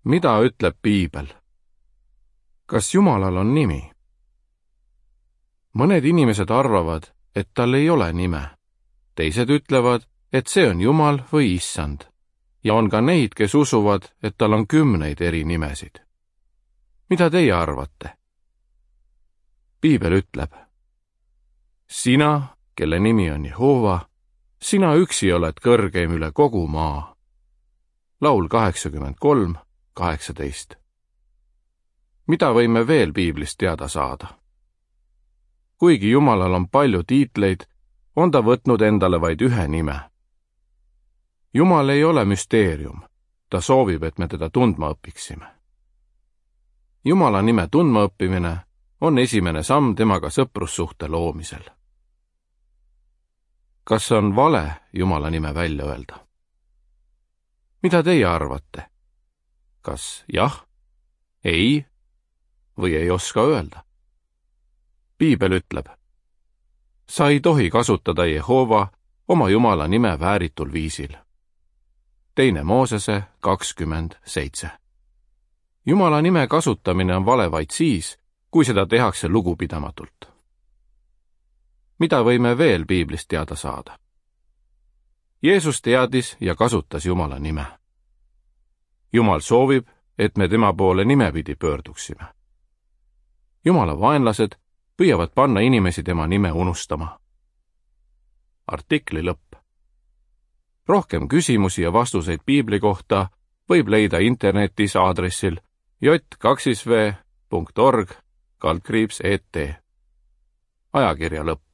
Mida ütleb piibel? Kas Jumalal on nimi? Mõned inimesed arvavad, et tal ei ole nime. Teised ütlevad, et see on Jumal või Issand. Ja on ka neid, kes usuvad, et tal on 10 eri nimesid. Mida teie arvate? Piibel ütleb: sina, kelle nimi on Jehova, sina üksi oled kõrgeim üle kogu maa. Laul 83:18. Mida võime veel piiblist teada saada? Kuigi Jumalal on palju tiitleid, on ta võtnud endale vaid ühe nime. Jumal ei ole müsteerium, ta soovib, et me teda tundma õpiksime. Jumala nime tundma õppimine on esimene samm temaga sõprussuhte loomisel. Kas on vale Jumala nime välja öelda? Mida teie arvate? Kas jah, ei või ei oska öelda? Piibel ütleb: sa ei tohi kasutada Jehova oma Jumala nime vääritul viisil. 2 Moosese 20:7. Jumala nime kasutamine on vale vaid siis, kui seda tehakse lugupidamatult. Mida võime veel piiblist teada saada? Jeesus teadis ja kasutas Jumala nime. Jumal soovib, et me tema poole nimepidi pöörduksime. Jumala vaenlased püüavad panna inimesi tema nime unustama. Artikli lõpp. Rohkem küsimusi ja vastuseid piibli kohta võib leida internetis aadressil j2v.org/et. Ajakirja lõpp.